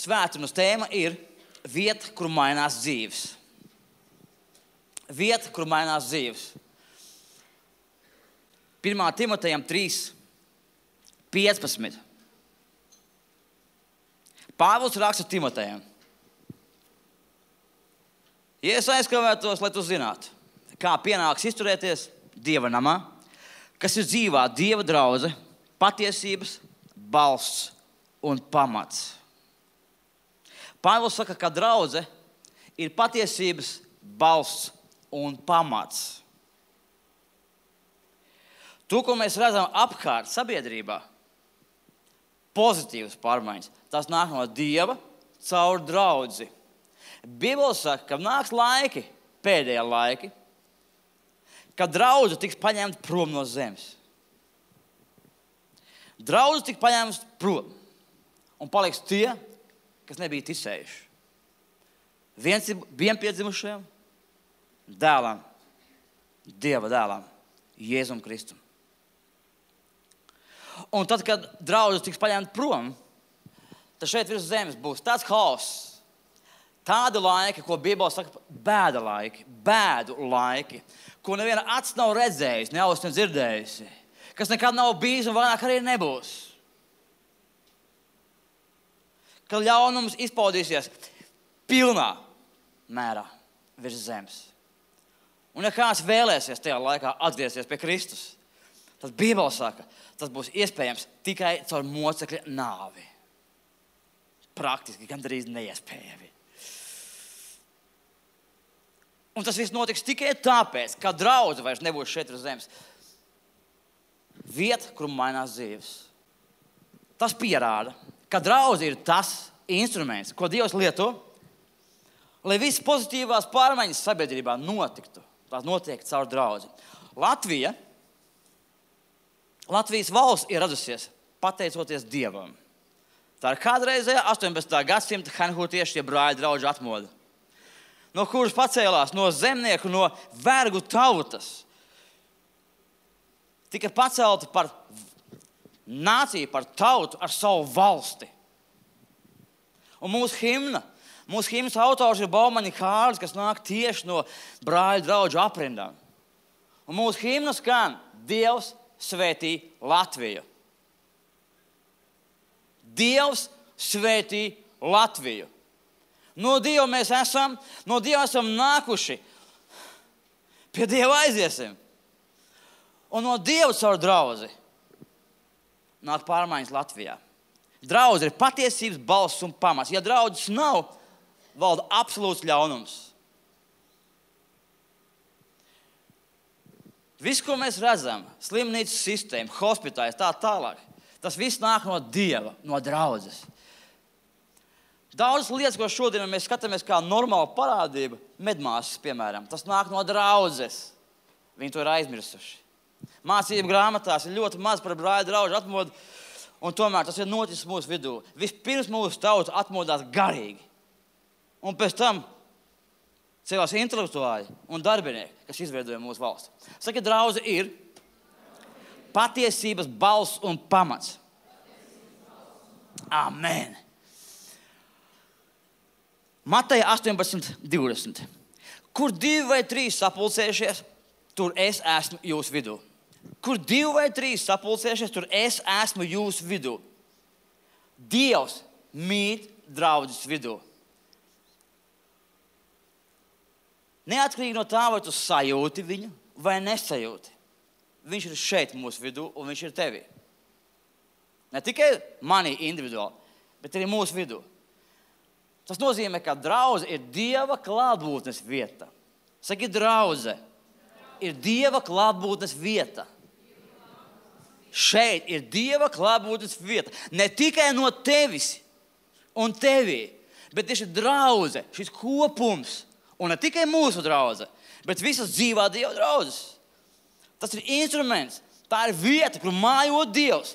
svētdienas tēma ir vieta, kur mainās dzīves. Vieta, kur mainās dzīves. 1. Timotejam 3:15. Pāvils raksta Timotejam. Ja es aizkavētos, lai tu zinātu, kā pienāks izturēties Dieva namā, kas ir dzīvā Dieva draudze, patiesības, balsts un pamats. Pāvils saka, ka draudze ir patiesības, balsts un pamats. To, ko mēs redzam apkārt sabiedrībā, pozitīvas pārmaiņas, tas nāk no Dieva caur draudzi. Bībele saka, ka nāks laiki, pēdējie laiki, kad draudze tiks paņemta prom no zemes. Draudze tiks paņemta prom un paliks tie, kas nebija ticējuši. Vienpiedzimušajam dēlam, Dieva dēlam, Jēzum Kristum. Un tad, kad draudze tiks paņemta prom, tad šeit virs zemes būs tāds haoss, tādi laiki, ko Bībele saka, bēdu laiki, ko neviena acs nav redzējusi, ne auss dzirdējusi, kas nekad nav bijis un vairāk arī nebūs. Kad ļaunums izpaudīsies pilnā mērā virs zemes. Un ja kāds vēlēsies tajā laikā atgriezties pie Kristus, tad Bībele saka, tas būs iespējams tikai caur mocekļa nāvi. Praktiski gandrīz neiespējami. Un tas viss notiks tikai tāpēc, ka draudze vairs nebūs šeit uz zemes. Vieta, kur mainās dzīves. Tas pierāda, ka draudze ir tas instruments, ko Dievs lieto, lai visas pozitīvās pārmaiņas sabiedrībā notiktu. Tās notiek caur draudzi. Latvijas valsts ir radusies pateicoties Dievam. Tā ir kādreizējā 18. gadsimta hanhūtiešu brāļu draugu atmoda, no kuras pacēlās no zemnieku, no vergu tautas. Tika pacelta par nāciju, par tautu ar savu valsti. Un mūsu himnas autors ir Baumaņa Kārlis, kas nāk tieši no brāļu draugu aprindām. Un mūsu himna skan: Dievs svētī Latviju. Dievs svētī Latviju. No Dieva mēs esam nākuši. Pie Dieva aiziesim. Un no Dieva caur draudzi nāk pārmaiņas Latvijā. Draudze ir patiesības, balss un pamats. Ja draudzes nav, valda absolūts ļaunums. Viss, ko mēs redzam, slimnīcas sistēma, hospitāls, tā tālāk, tas viss nāk no Dieva, no draudzes. Daudzas lietas, ko šodien mēs skatāmies kā normāla parādība, medmāsas, piemēram, tas nāk no draudzes. Viņi to ir aizmirsuši. Mācību grāmatās ir ļoti maz par brāļu draugu atmodu, un tomēr tas ir noticis mūsu vidū. Vispirms mūsu tauta atmodās garīgi, un pēc tam cēlās intelektuāļi un darbinieki, kas izveidoja mūsu valsti. Saka, draudze ir patiesības balss un pamats. Amen. Mateja 18:20. Kur 2 vai 3 sapulcējušies, tur es esmu jūsu vidū. Kur 2 vai 3 sapulcējušies, tur es esmu jūsu vidū. Dievs mīt draudzes vidū. Neatkarīgi no tā, vai tu sajūti viņu vai nesajūti. Viņš ir šeit mūsu vidū un viņš ir tevī. Ne tikai manī individuāli, bet arī mūsu vidū. Tas nozīmē, ka draudze ir Dieva klātbūtnes vieta. Saki, draudze ir Dieva klātbūtnes vieta. Šeit ir Dieva klātbūtnes vieta. Ne tikai no tevis un tevī, bet tieši draudze, šis kopums. Un ne tikai mūsu draudze, bet visas dzīvā Dieva draudzes. Tas ir instruments, tā ir vieta, kur mājo Dievs.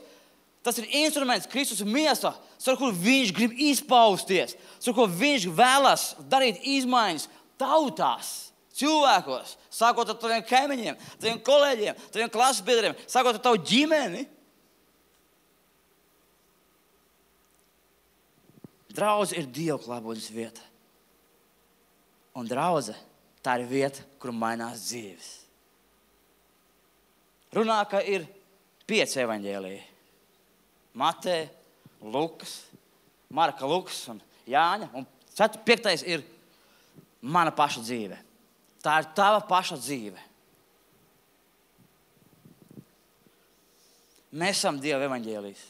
Tas ir instruments Kristus miesā, ar kuru viņš grib izpausties, ar ko viņš vēlas darīt izmaiņas tautās, cilvēkos, sākot ar taviem kaimiņiem, taviem kolēģiem, taviem klases biedriem, sākot ar tavu ģimeni. Draudze ir Dieva klātbūtnes vieta. Un draudze, tā ir vieta, kur mainās dzīves. Runā, ka ir 5 evaņģēliji. Mateja, Lukas, Marka, Lukas un Jāņa. Un 5. ir mana paša dzīve. Tā ir tava paša dzīve. Mēs esam Dieva evaņģēlijs.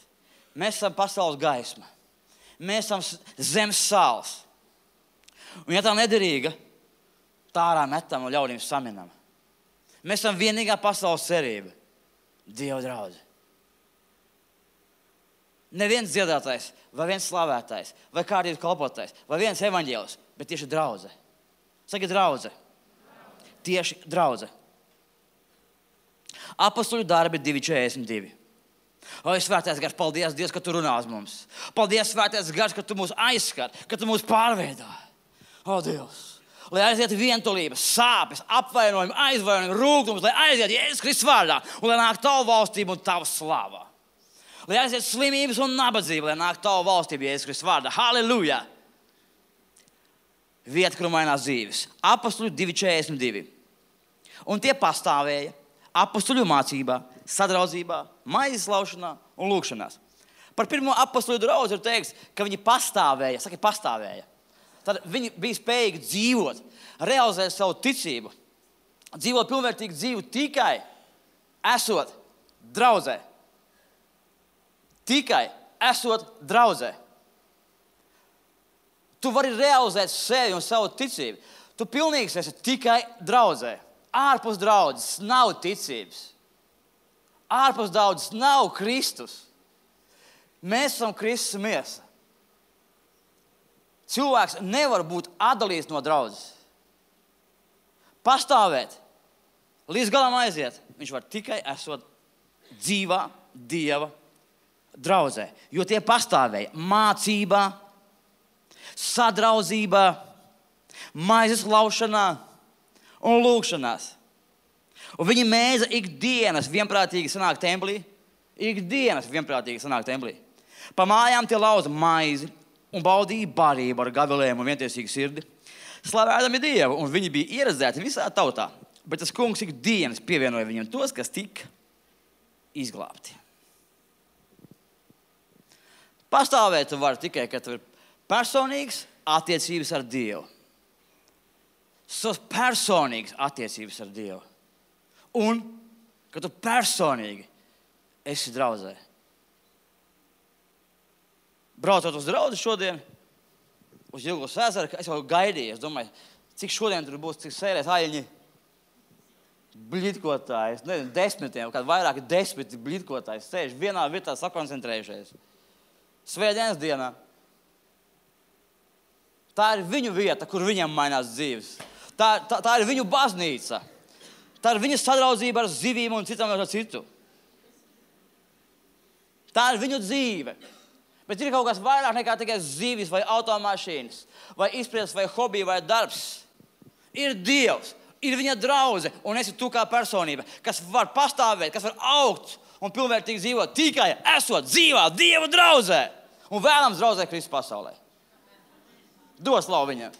Mēs esam pasaules gaisma. Mēs esam zemes sāls. Un ja tā nederīga, tā ārā metam un ļaudīm saminam. Mēs esam vienīgā pasaules cerība. Dieva draudze. Neviens dziedātājs, vai viens slavētājs, vai kādības kalpotais, vai viens evaņģēlis, bet tieši draudze. Saki draudze. Tieši draudze. Apostoļu darbi 2:42. O, svētais gars, paldies, Dievs, ka tu runā uz mums. Paldies, svētais gars, ka tu mūs aizskar, ka tu mūs pārveido. O, Dievs, lai aiziet vientulības, sāpes, apvainojumi, aizvainojumi, rūgtums, lai aiziet Jēzus Kristus vārdā un lai nāk tavu valstību un tavu slāvā. Lai aiziet slimības un nabadzība, lai nāk tavu valstību Jēzus Kristus vārdā. Halleluja! Vieta, kur mainās dzīves. Apostoļu 2:42. Un tie pastāvēja apostoļu mācībā, sadraudzībā, maizes laušanā un lūgšanās. Par pirmo apostoļu draudzi ir teikts, ka viņi pastāvēja. Saki, pastāvēja. Tad viņi bija spējīgi dzīvot, realizēt savu ticību, dzīvot pilnvērtīgu dzīvi tikai esot draudzē. Tikai esot draudzē. Tu vari realizēt sevi un savu ticību. Tu pilnīgs esi tikai draudzē. Ārpus draudzes nav ticības. Ārpus draudzes nav Kristus. Mēs esam Kristus miesa. Cilvēks nevar būt atdalīts no draudzes. Pastāvēt, līdz galam aiziet. Viņš var tikai esot dzīvā Dieva draudzē. Jo tie pastāvēja mācībā, sadraudzībā, maizes laušanā un lūgšanās. Un viņi mēdza ikdienas vienprātīgi sanākt templī. Ikdienas vienprātīgi sanākt templī. Pa mājām tie lauza maizi un baudīja barību ar gavilēm un vientiesīgu sirdi. Slavējami Dievu, un viņi bija ieredzēti visā tautā. Bet tas kungs ikdienas pievienoja viņiem tos, kas tika izglābti. Pastāvēt tu vari tikai, kad tu ir personīgas attiecības ar Dievu. Savas personīgas attiecības ar Dievu. Un, kad tu personīgi esi draudzē. Braucot uz draudzi šodien, uz Jilgavas ezeru, es jau gaidīju. Es domāju, cik šodien tur būs, cik sēlēs aļņi blitkotāji. Es nezinu, 10, kādi vairāki 10 blitkotāji sēž vienā vietā sakoncentrējušies. Svētdienas dienā. Tā ir viņu vieta, kur viņam mainās dzīves. Tā ir viņu baznīca. Tā ir viņa sadraudzība ar zivīm un citam ar citu. Tā ir viņu dzīve. Bet ir kaut kas vairāk nekā tikai zivis vai automašīnas, vai izpratnes, vai hobija, vai darbs. Ir Dievs, ir viņa draudze, un esi tu kā personība, kas var pastāvēt, kas var augt un pilnvērtīgi dzīvot tikai esot dzīvā Dieva draudzē un vēlams draudzē Kristus pasaulē. Dos slavu viņam.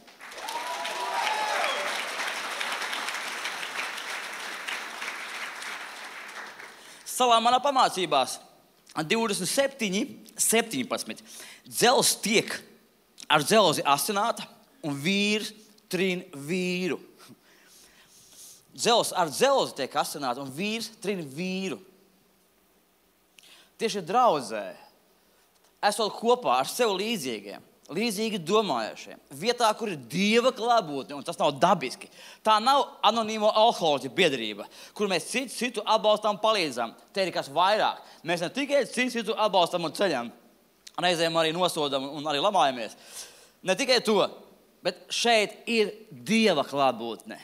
Savā manā pamācībās 27:17. Dzelzs tiek ar dzelzi asināta un vīrs trin vīru. Dzelzs ar dzelzi tiek asināta un vīrs trin vīru. Tieši draudzē, esot kopā ar sev līdzīgiem, līdzīgi domājošiem, vietā, kur ir Dieva klātbūtne, un tas nav dabiski. Tā nav anonīmo alkoholiķu biedrība, kur mēs citu atbalstam, palīdzam. Te ir kas vairāk. Mēs ne tikai citu atbalstam un ceļam, reizēm arī nosodam un arī lamājamies. Ne tikai to, bet šeit ir Dieva klātbūtne.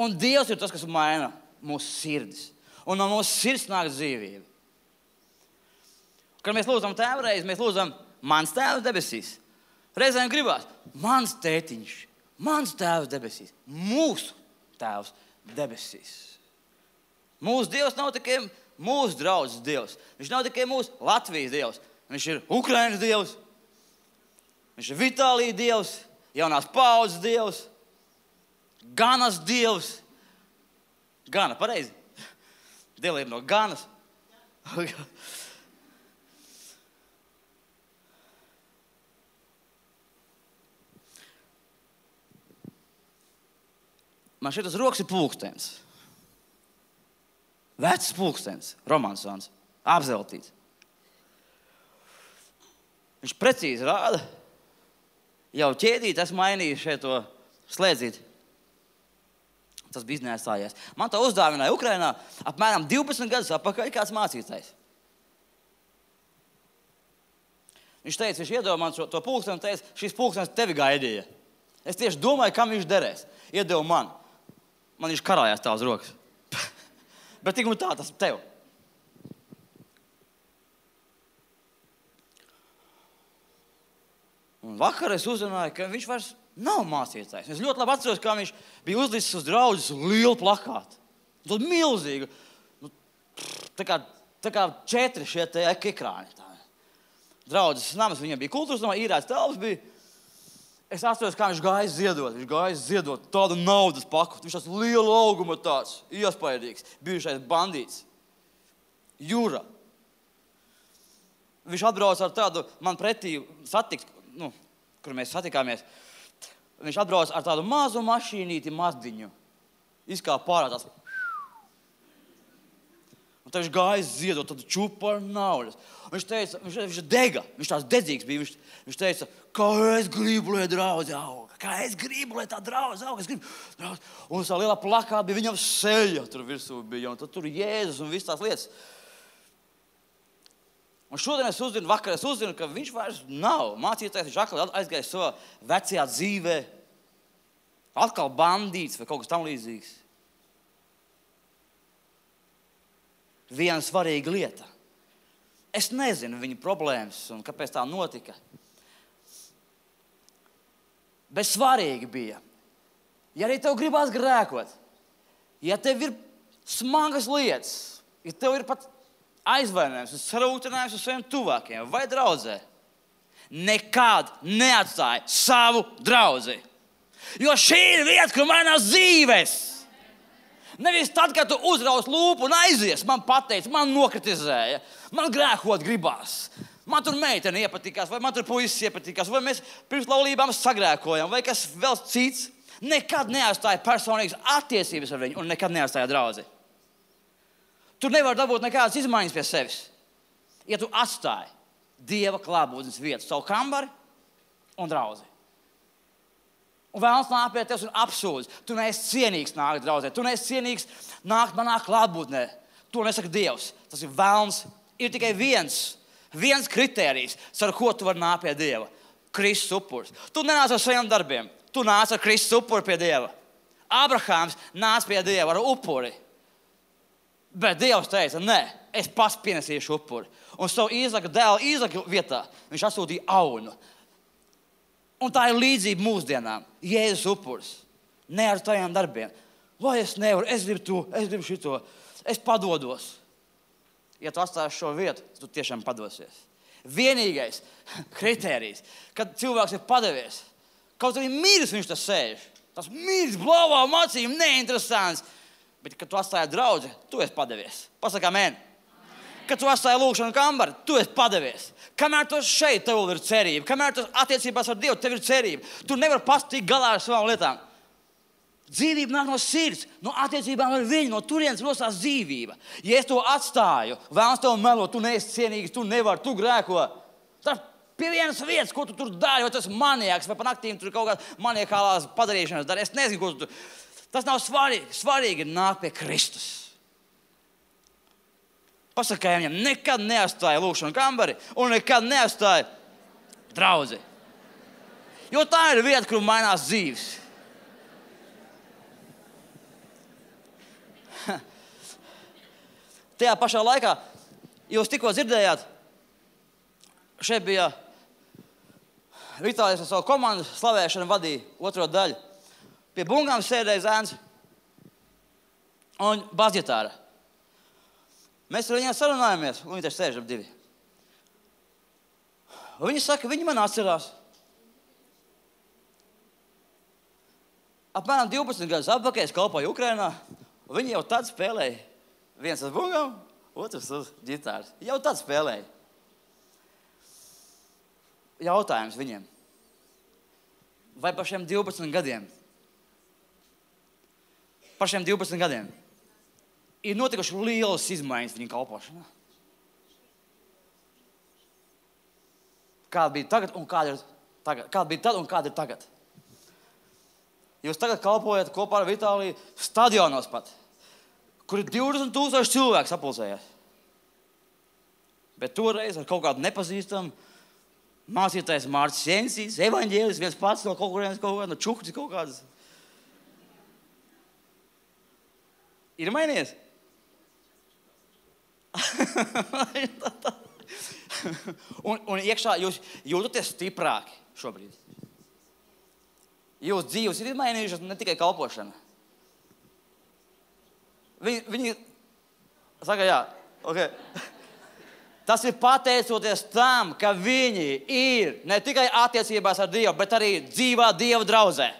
Un Dievs ir tas, kas maina mūsu sirdis. Un no mūsu sirds nāk dzīvība. Kad mēs lūdzam tēvreiz, mēs lūdzam mans tēvs debesīs. Reizēm gribās, mans tētiņš, mans tēvs debesīs, mūsu tēvs debesīs. Mūsu Dievs nav tikai mūsu draudzes Dievs. Viņš nav tikai mūsu Latvijas Dievs. Viņš ir Ukrainas Dievs, Viņš ir Vitālija Dievs, jaunās paaudzes Dievs, Ganas Dievs. Gana, pareizi? Dievlība no Ganas. Man šeit uz rokas ir pulkstenis. Vecs pulkstenis, romansons, apzeltīts. Viņš precīzi rāda, jau ķēdīt, esmu mainījis šeit to slēdzīti. Tas bija iznēsājies. Man to uzdāvināja Ukrainā apmēram 12 gadus atpakaļ kāds mācītājs. Viņš teica, viņš iedeva man to pulksteni un teica, šis pulkstenis tevi gaidīja. Es tieši domāju, kam viņš derēs. Iedeva man. Man viņš karājās tā uz rokas. Bet tik un tā, tas tev. Un vakar es uzzināju, ka viņš vairs nav mācītājs. Es ļoti labi atceros, kā viņš bija uzlicis uz draudzes lielu plakātu. Tad milzīgu. Tā kā 4 šie te ekrāni. Draudzes nams, viņam bija kultūras namā, īrēts telpas bija. Es atceros, kā viņš gāja ziedot. Viņš gāja ziedot tādu naudas paku. Viņš tāds lielu augumu tāds, iespaidīgs, bijušais bandīts. Jūra. Viņš atbrauc ar tādu, man pretī satikt, kur mēs satikāmies. Viņš atbrauc ar tādu mazu mašīnīti mazdiņu. Izkāpa pārā tās. Un tad viņš gāja ziedot tādu čupu ar naudas. Viņš teica, viņš dega, viņš tās dedzīgs bija. Viņš teica, kā es gribu, lai draudze auga. Kā es gribu, lai tā draudze auga. Es gribu, draudze. Un tā lielā plakā bija viņam seja, tur virsū bija. Un tad tur Jēzus un viss tās lietas. Un šodien vakar es uzzinu, ka viņš vairs nav mācītājs. Viņš atkal aizgājis savā vecajā dzīvē. Atkal bandīts vai kaut kas tam līdzīgs. Viena svarīga lieta. Es nezinu viņa problēmas un kāpēc tā notika. Bet svarīgi bija, ja arī tev gribās grēkot, ja tev ir smagas lietas, ja tev ir pat aizvainojums un sarūktinājums uz saviem tuvākiem vai draudzē, nekad neatstāj savu draudzi. Jo šī ir vieta, kur mainās dzīves. Nevis tad, kad tu uzraus lūpu un aizies, man pateica, man nokritizēja, man grēkot gribās. Man tur meitene iepatikās, vai man tur puisis iepatikās, vai mēs pirms laulībām sagrēkojam, vai kas vēl cits. Nekad neatstāja personīgas attiecības ar viņu un nekad neatstāja draudzi. Tur nevar dabūt nekādas izmaiņas pie sevis. Ja tu atstāji Dieva klātbūtnes vietu, savu kambari un draudzi. Un vēlams nāk pie tevis un apsūdz. Tu neesi cienīgs nākt draudzē. Tu neesi cienīgs nākt manā klātbūtnē. To nesaka Dievs. Tas ir vēlns. Ir tikai viens kritērijs, ar ko tu vari nākt pie Dieva. Kristus upuris. Tu nenāc ar saviem darbiem. Tu nāc ar Kristus upuri pie Dieva. Abrahāms nāc pie Dieva ar upuri. Bet Dievs teica, nē, es pats pienesīšu upuri. Un savu Īzaka dēlu Īzaka vietā viņš atsūtīja aunu. Un tā ir līdzība mūsdienām. Jēzus upuris. Ne ar tajiem darbiem. Vai es nevaru, es gribu to, es gribu šito. Es padodos. Ja tu atstāsi šo vietu, tu tiešām padosies. Vienīgais kritērijs, kad cilvēks ir padevies, kaut arī miris viņš tas sēž. Tas miris, blavā, macījumi, neinteresants. Bet, kad tu atstāji draudzi, tu esi padevies. Pasaka amen. Kad tu atstāji lūkšanu kambari, tu esi padevies. Kamēr tu šeit, tev ir cerība. Kamēr tu attiecībās ar Dievu, tev ir cerība. Tu nevari pats tikt galā ar savām lietām. Dzīvība nāk no sirds, no attiecībām ar viņu, no turienes rosās dzīvība. Ja es to atstāju, vēlams tev melo, tu neesi cienīgs, tu nevari, tu grēko. Tas pie vienas vietas, ko tu tur dari, vai tas maniaks, vai pa naktīm tur kaut kādas maniakālās padarīšanas dari. Es nezinu, ko tu tur. Tas nav svarīgi. Svarīgi ir nākt pie Kristus. Pasakāja viņam, nekad neatstāja lūkšanu kambari un nekad neatstāja draudzi. Jo tā ir vieta, kur mainās dzīves. Tajā pašā laikā, jūs tikko dzirdējāt, šeit bija Vitālijs ar savu komandu slavēšanu vadīja otro daļu. Pie bungām sēdēja zēns un basģitāra. Mēs ar viņiem sarunājamies, un viņi taču sēž ap divi. Un viņi saka, viņi man atcerās. apmēram 12 gadus atpakaļ es kalpoju Ukrainā, un viņi jau tad spēlēja. Viens uz bungām, otrs uz ģitāras. Jau tad spēlēja. Jautājums viņiem. Vai par šiem 12 gadiem? Par šiem 12 gadiem ir notikuši lielas izmaiņas viņa kalpošanā. Kāda bija tagad un kāda ir tagad? Kāda bija tad un kāda ir tagad? Jūs tagad kalpojat kopā ar Vitāliju stadionos pat, kur ir 20,000 cilvēku sapulcējās. Bet toreiz ar kaut kādu nepazīstamu mācītājs Mārcis Jensīs, evaņģēlis, viens pats no kaut kurienes, no Čuktis kaut kādas. Ir mainījies? un iekšā jūs jūtaties stiprāki šobrīd. Jūsu dzīves ir izmainījušas, ne tikai kalpošana. Viņi saka, jā, okay. Tas ir pateicoties tam, ka viņi ir ne tikai attiecībās ar Dievu, bet arī dzīvā Dieva draudzē.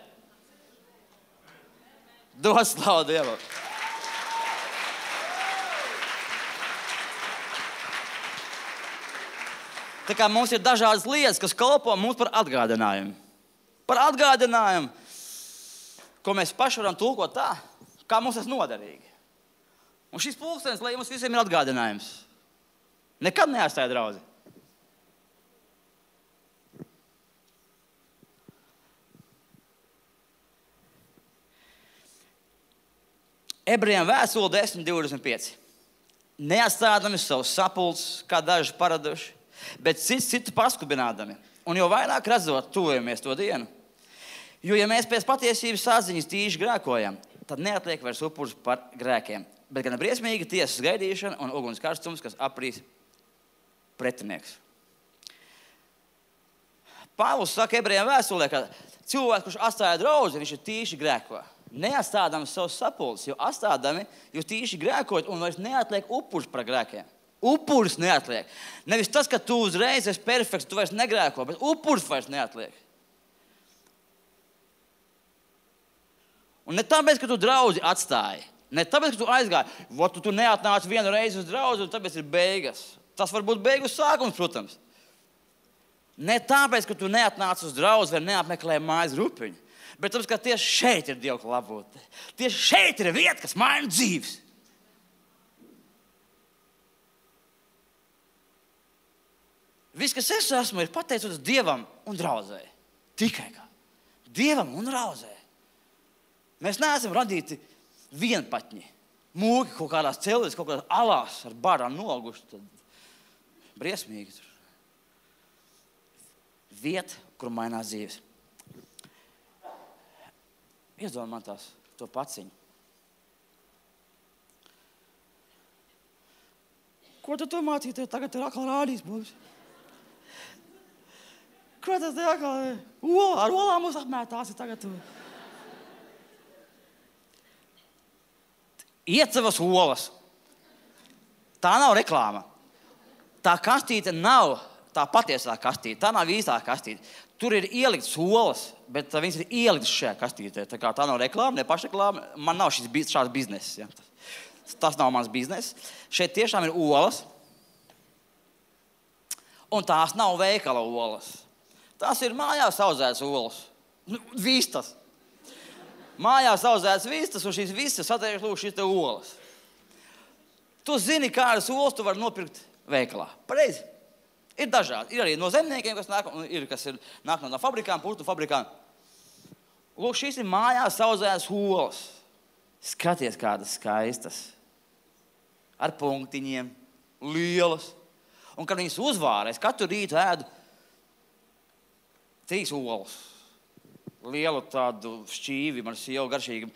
Dod slavu Dievam. Tā kā mums ir dažādas lietas, kas kalpo mums par atgādinājumu. Par atgādinājumu, ko mēs paši varam tulkot tā, kā mums tas noderīgi. Un šis pulkstenis, lai mums visiem ir atgādinājums. Nekad neatstāja draudzi. Ebrejiem vēstule 10:25. Neatstādami savus sapulces, kā daži paraduši, bet citu paskubinādami. Un jau vairāk redzot, tuvojamies to dienu. Jo, ja mēs pēc patiesības saziņas tīši grēkojam, tad neatliek vairs upurs par grēkiem, bet gan briesmīga tiesas gaidīšana un uguns karstums, kas aprīs pretinieks. Pāvils saka Ebrejiem vēstulē, ka cilvēks, kurš atstāja draudzi, viņš ir tīši grēko. Neatstādami savus sapulces, jo atstādami jūs tīši grēkojat un vairs neatliek upurs par grēkiem. Upuris neatliek. Nevis tas, ka tu uzreiz esi perfekts, tu vairs negrēko, bet upuris vairs neatliek. Un ne tāpēc, ka tu draudzi atstāji, ne tāpēc, ka tu aizgāji, tu neatnāci vienu reizi uz draudzi, un tāpēc ir beigas. Tas var būt beigu sākums, protams. Ne tāpēc, ka tu neatnāci uz draudzi vai neapmeklēji mājas grupiņu, bet tāpēc, ka tieši šeit ir Dieva klātbūtne. Tieši šeit ir vieta, kas maina dzīves. Viss, kas es esmu, ir pateicoties Dievam un draudzē. Tikai kā. Dievam un draudzē. Mēs neesam radīti vienpatņi. Mūki kaut kādās celēs, kaut kādās alās ar barām noguši. Tad briesmīgi. Vieta, kur mainās dzīves. Iedod man to paciņu. Ko tu mācīji? Tagad ir atkal rādīs mums. Ko tas te atkal ir? Ar olām mums apmētās ir tagad. Iecevas olas. Tā nav reklāma. Tā kastīte nav tā patiesā kastīte. Tā nav īstā kastīte. Tur ir ielikts olas, bet viņas ir ieliktas šajā kastītē. Tā nav reklāma, ne pašreklāma. Man nav šāds bizness. Ja. Tas nav mans bizness. Šeit tiešām ir olas. Un tās nav veikala olas. Tās ir mājās audzētas olas. Vistas. Mājās audzētas vistas, un šīs vistas satiek šīs te olas. Tu zini, kādas olas tu vari nopirkt veikalā. Pareizi. Ir dažādi. Ir arī no zemniekiem, kas nāk, un ir, kas nāk no fabrikām, putu fabrikām. Lūk, šīs ir mājās audzētas olas. Skaties, kādas skaistas. Ar punktiņiem. Lielas. Un kad viņas uzvāra, es katru rītu ēdu 3 olas. Lielu tādu šķīvi, man sieva garšīgi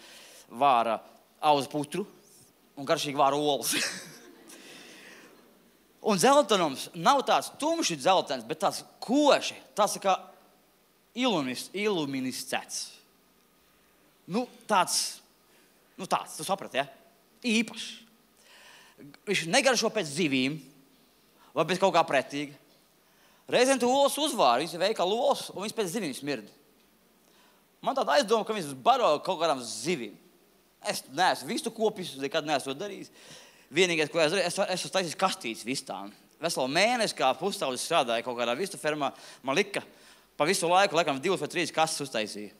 vāra auzu putru un garšīgi vāra olas. Un dzeltenums nav tāds tumši dzeltens, bet tāds koši, tāds kā iluminiscēts. Tāds, tu saprati, ja? Īpašs. Viņš negaršo pēc zivīm vai pēc kaut kā pretīga. Reizēm tu olas uzvāri, viņas ir veikala olas, un viņas pēc zivīm smird. Man tāda aizdoma, ka viņas baro kaut kādām zivīm. Es neesmu vistu kopis, nekad neesmu to darījis. Vienīgais, ko es darīju, es esmu taisījis kastītes vistām. Veselu mēnesi, kā pusaudzis strādāja kaut kādā vistu fermā, man lika pa visu laiku, laikam 2 vai 3 kastes uztaisīja.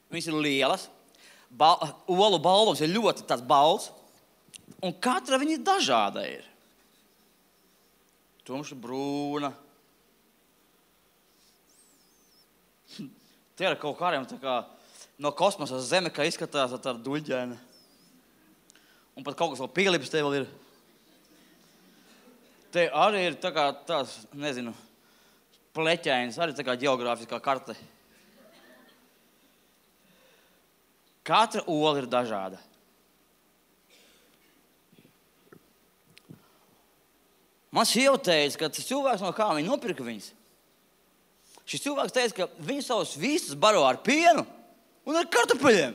Viņas ir lielas, olu balvums ir ļoti tāds balts, un katra viņa dažāda ir. Tumša brūna. Tie ir kaut kādiem tā kā no kosmosa zeme, kā izskatās ar tādu duļģēnu. Un pat kaut kas vēl pielips te vēl ir. Te arī ir tā kā tās, nezinu, pleķainas, arī tā kā ģeogrāfiskā karte. Katra ola ir dažāda. Man sieva teica, ka tas cilvēks, no kā viņi nopirka viņas. Šis cilvēks teica, ka viņi savus vistas baro ar pienu un ar kartupeļiem.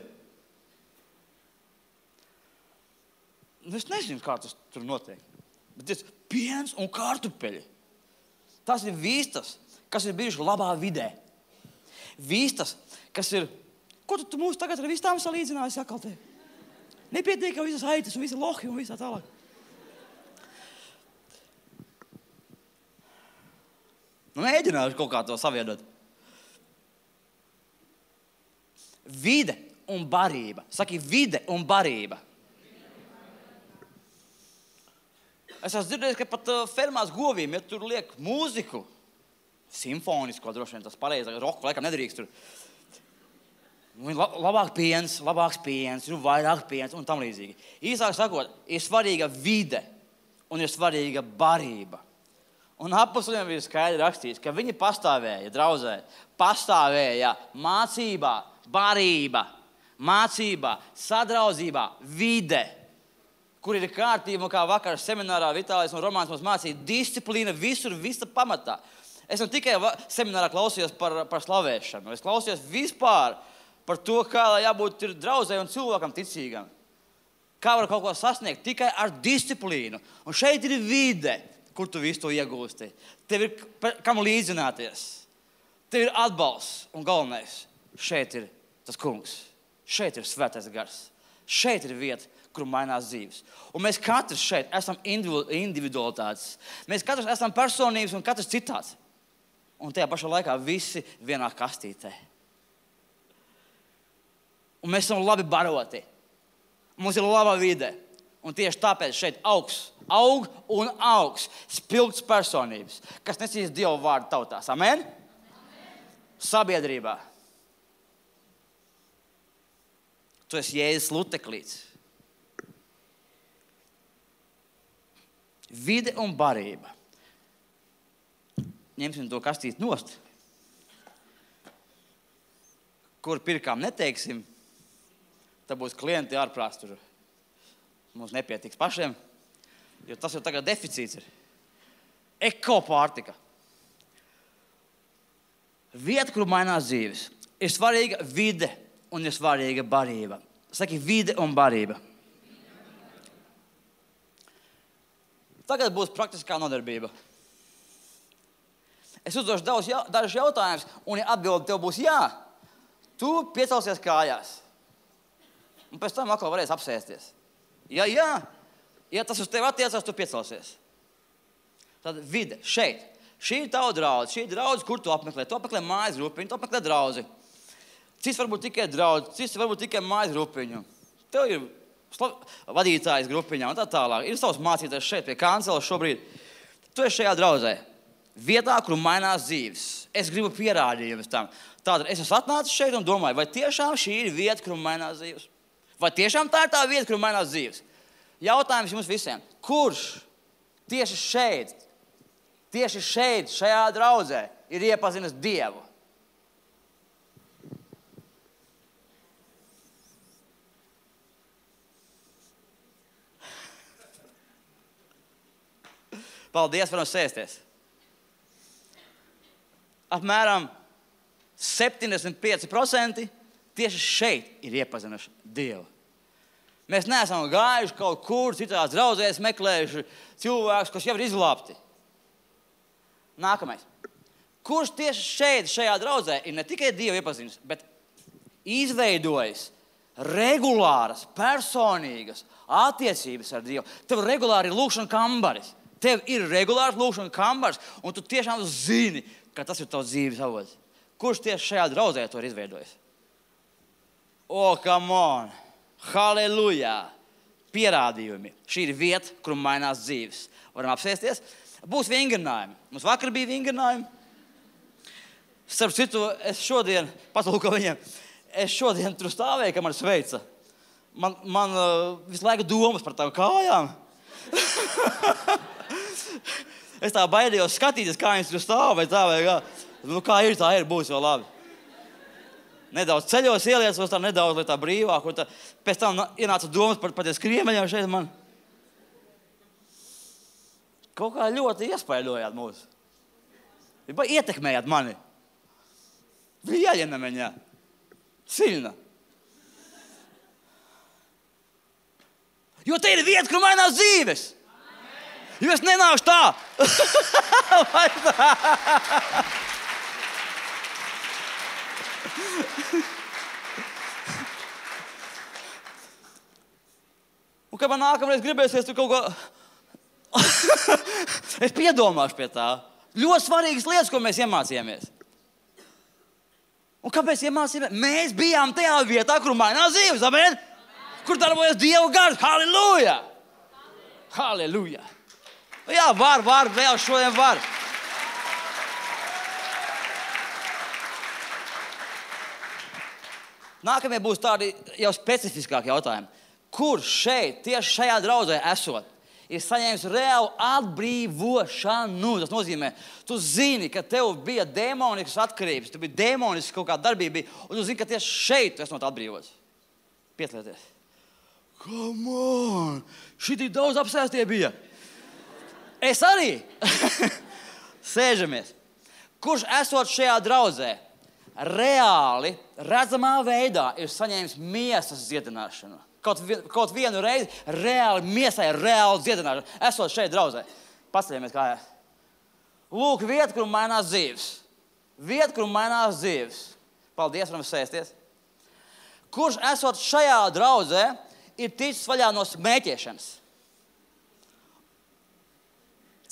Es nezinu, kā tas tur notiek. Bet tas piens un kartupeļi. Tas ir vistas, kas ir bijuši labā vidē. Vistas, kas ir... Ko tu mūs tagad ar vistām salīdzināji, sakaltē? Nepietiek jau visas aitas un visi lohi un visā tālāk. Mēģināšu kaut kā to savienot. Vide un barība. Saki, vide un barība. Es esmu dzirdējis, ka pat fermās govīm, ja tur liek mūziku, simfonisko droši vien tas pareizāk, roku laikam nedrīkst tur. Labāks piens, ir vairāk piens un tam līdzīgi. Īsāk sakot, ir svarīga vide un ir svarīga barība. Un apostoļiem ir skaidri rakstīts, ka viņi pastāvēja draudzē, pastāvēja mācībā, barība, mācībā, sadraudzībā, vide, kur ir kārtība, kā vakar seminārā Vitālijs un Romāns mums mācīja disciplīna visur, visa pamatā. Es ne tikai seminārā klausījos par slavēšanu, es klausījos vispār par to, kā jābūt ir draudzē un cilvēkam ticīgam. Kā var kaut ko sasniegt tikai ar disciplīnu. Un šeit ir vide, kur tu visu to iegūsti. Tev ir kam līdzināties. Tev ir atbalsts un galvenais. Šeit ir tas kungs. Šeit ir svētais gars. Šeit ir vieta, kur mainās dzīves. Un mēs katrs šeit esam individualitātes. Mēs katrs esam personības un katrs citāds. Un tajā pašā laikā visi vienā kastītē. Un mēs esam labi baroti. Mums ir laba vide. Un tieši tāpēc šeit aug un augs spilgts personības, kas nesīs Dievu vārdu tautās. Amen? Sabiedrībā. Tu esi Jēzus luteklīts. Vide un barība. Ņemsim to kastīti nost. Kur pirkām neteiksim, tad būs klienti ārprāts tur. Mums nepietiks pašiem, jo tas jau tagad deficīts ir. Ekopārtika. Vieta, kur mainās dzīves. Ir svarīga vide un ir svarīga barība. Saki, vide un barība. Tagad būs praktiskā nodarbība. Es uzdošu dažus jautājumus, un ja atbildi tev būs jā, tu piecelsies kājās. Un pēc tam atkal varēs apsēsties. Ja tas uz tevi attiecās, tu piecelsies. Tad vide, šeit. Šī ir tava draudze. Šī ir draudze, kur tu apmeklē. Tu apmeklē mājas grupiņu, tu apmeklē draudzi. Cits varbūt tikai draudzi, cits varbūt tikai mājas grupiņu. Tev ir vadītājs grupiņā un tā tālāk. Ir savs mācītājs šeit pie kanceles šobrīd. Tu esi šajā draudzē. Vietā, kur mainās dzīves. Es gribu pierādījumus tam. Tātad es esmu atnācis šeit un domāju, vai tiešām šī ir vieta, kur mainās dzīves? Vai tiešām tā ir tā vieta, kur mainās dzīves? Jautājums jums visiem. Kurš tieši šeit, šajā draudzē, ir iepazinis Dievu? Paldies, varam sēsties. Apmēram 75% tieši šeit ir iepazinuši Dievu. Mēs neesam gājuši kaut kur citās draudzēs, meklējuši cilvēkus, kas jau ir izglābti. Nākamais. Kurš tieši šeit, šajā draudzē, ir ne tikai Dievu iepazinis, bet izveidojis regulāras, personīgas attiecības ar Dievu. Tev regulāri ir lūkšana kambaris. Tev ir regulārs lūkšana kambaris, un tu tiešām zini, ka tas ir tavs dzīves avots. Kurš tieši šajā draudzē to ir izveidojis? Come on! Halleluja! Pierādījumi. Šī ir vieta, kur mainās dzīves. Varam apsēsties. Būs vingrinājumi. Mums vakar bija vingrinājumi. Starp citu, es šodien, patulko viņiem, es šodien tur stāvēju, ka man sveica. Man visu laiku domas par tām kājām. Es tā baidījos skatīties, kā viņas tur stāvēja. Kā ir, tā ir, būs vēl labi. Nedaudz ceļos ieliecos, tā nedaudz, lai tā brīvāk. Pēc tam ienāca domas par tiem skriemeļiem šeit man. Kaut kā ļoti iespaidojāt mūs. Ietekmējāt mani. Влияние меня. Сильно. Jo te ir vieta, kur mainās dzīves. Jo es nenāšu tā. Vai tā? Un kad man nākamreiz gribēsies tur kaut ko... Es piedomāšu pie tā. Ļoti svarīgas lietas, ko mēs iemācījāmies. Un kāpēc iemācījāmies? Mēs bijām tajā vietā, kur mainās dzīves. Amen? Kur darbojas Dieva gars. Halleluja! Halleluja! Jā, var, vēl šodien var. Nākamie būs tādi jau specifiskāki jautājumi. Kur šeit, tieši šajā draudzē esot, ir saņēmis reālu atbrīvošanu? Tas nozīmē, tu zini, ka tev bija demoniskas atkarības, tu bija demoniskas kaut kāda darbība, un tu zini, ka tieši šeit tu esi no tā atbrīvots. Pieslieties. Come on! Šitī daudz apsēstie bija. Es arī. Sēžamies. Kurš esot šajā draudzē, reāli, redzamā veidā ir saņēmis miesas dziedināšanu? Kaut vienu reizi reāli miesai, reāli dziedināšanu. Esot šeit draudzē. Paceļamies kājās. Lūk, vieta, kur mainās dzīves. Vieta, kur mainās dzīves. Paldies, varam sēsties. Kurš esot šajā draudzē, ir ticis vaļā no smēķēšanas?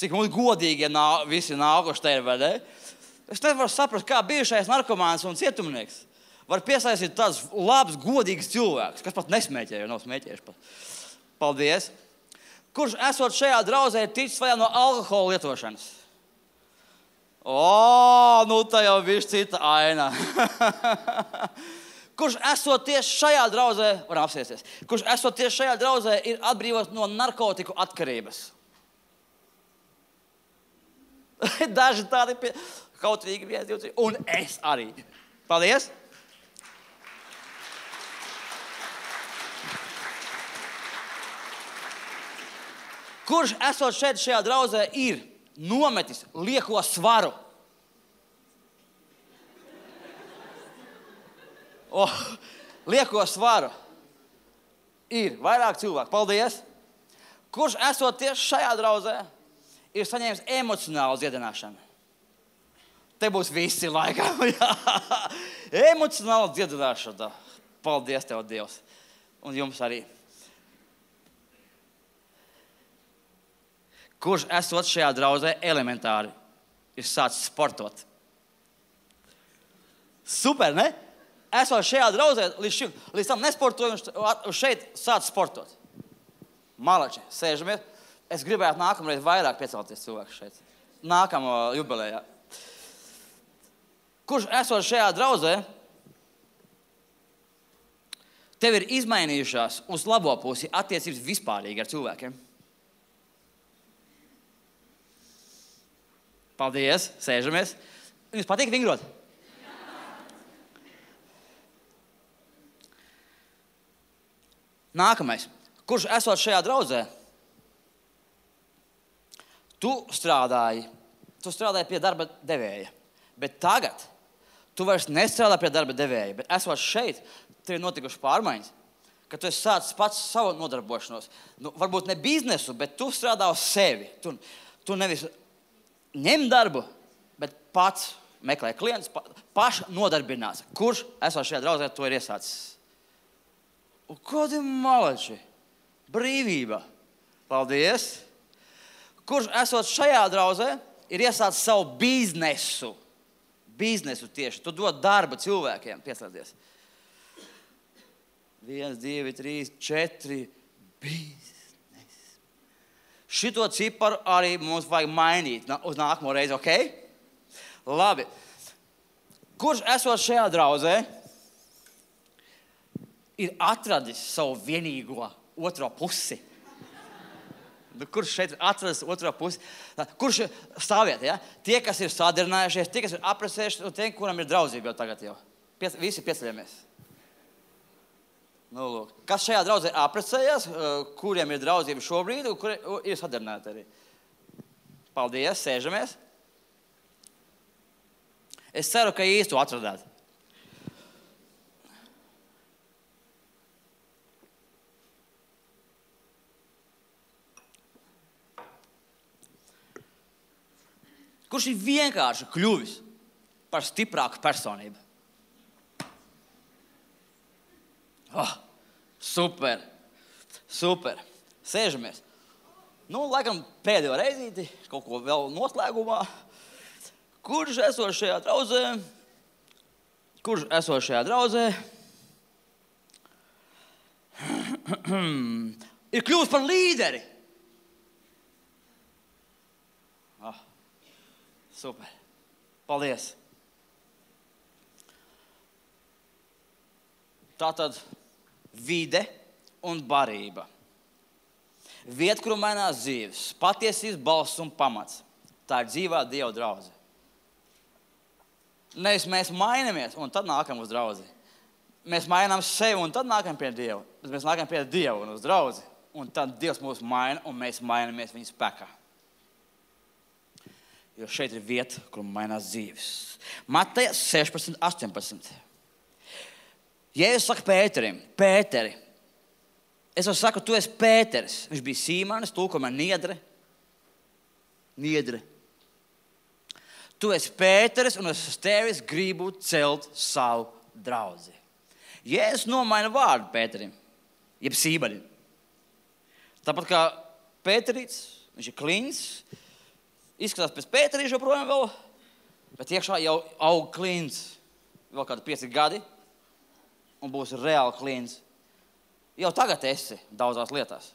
Cik mums godīgi, ja visi nākuši te ir, vai ne? Es nevaru saprast, kā bijušais narkomāns un cietumnieks var piesaistīt tādus labus, godīgus cilvēkus, kas pat nesmēķē, jo nav smēķējuši pat. Paldies. Kurš esot šajā draudzē, ir ticis vaļā no alkohola lietošanas? Nu tā jau bišķi cita aina. Kurš esot tieši šajā draudzē, varam apsēsties, kurš esot tieši šajā draudzē, ir atbrīvots no narkotiku atkarības? Daži tādi kautrīgi, 1, 2, 3, un es arī. Paldies! Kurš esot šeit šajā draudzē ir nometis lieko svaru? Lieko svaru. Ir vairāk cilvēku. Paldies! Kurš esot tieši šajā draudzē, ir saņēmis emocionālu dziedināšanu? Te būs visi laikā. Emocionāla dziedināšana. Paldies Tev, Dievs. Un jums arī. Kurš esot šajā draudzē elementāri ir sācis sportot? Super, ne? Esot šajā draudzē līdz tam nesportoju un šeit sācis sportot. Malači, sēžamies. Es gribētu nākamreiz vairāk piecelties cilvēku šeit. Nākamo jubilejā. Kurš esot šajā draudzē, tev ir izmainījušās uz labo pusi attiecības vispārīgi ar cilvēkiem? Paldies, sēžamies. Jums patīk vingrot? Nākamais. Kurš esot šajā draudzē, tu strādāji pie darba devēja, bet tagad tu vairs nestrādā pie darba devēja, bet esot šeit, tev ir notikušas pārmaiņas, ka tu esi sācis pats savu nodarbošanos. Varbūt ne biznesu, bet tu strādā uz sevi. Tu nevis ņem darbu, bet pats meklē klientus, paši nodarbinās. Kurš esot šajā draudzē, to ir iesācis? Un kādi malači? Brīvība. Paldies. Kurš esot šajā draudzē, ir iesācis savu biznesu. Biznesu tieši. Tu dod darbu cilvēkiem. Pieslēdzies. 1, 2, 3, 4. Biznes. Šito ciparu arī mums vajag mainīt uz nākamo reizi, ok? Labi. Kurš esot šajā draudzē, ir atradis savu vienīgo otro pusi? Kurš šeit atradis otro pusi? Kurš stāviet, ja? Tie, kas ir sadarinājušies, tie, kas ir aprecējušies, un tie, kuram ir draudzība jau tagad jau. Visi pieceļamies. Nu, lūk. Kas šajā draudzē aprecējās, kuriem ir draudzība šobrīd, un kuri ir sadarināti arī? Paldies, sēžamies. Es ceru, ka īstu atradāt. Kurš ir vienkārši kļuvis par stiprāku personību? Super. Super. Sēžamies. Nu, laikam pēdējo reizīti, kaut ko vēl noslēgumā. Kurš esot šajā draudzē? Ir kļuvis par līderi. Super. Paldies. Tātad vide un barība. Vieta, kuru mainās dzīves, patiesības balss un pamats. Tā ir dzīvā Dieva draudze. Nevis mēs mainamies un tad nākam uz draudzi. Mēs mainām sevi un tad nākam pie Dieva. Bet mēs nākam pie Dieva un uz draudzi. Un tad Dievs mūs maina un mēs mainamies viņa spēkā. Jo šeit ir vieta, kur mainās dzīves. Mateja 16, 18. Jēzus saka Pēterim, Pēteri, es jau saku, tu esi Pēteris. Viņš bija Sīmanis, tulkojumā niedre. Niedre. Tu esi Pēteris un es uz tevis gribu celt savu draudzi. Jēzus nomaina vārdu Pēterim, jeb Sīmanim. Tāpat kā Pēterīts, viņš ir kliņš, izskatās pēc Pēterīša joprojām vēl, bet iekšā jau aug kliņš. Vēl kādi 5 gadi. Un būs reāli klients. Jau tagad esi daudzās lietās.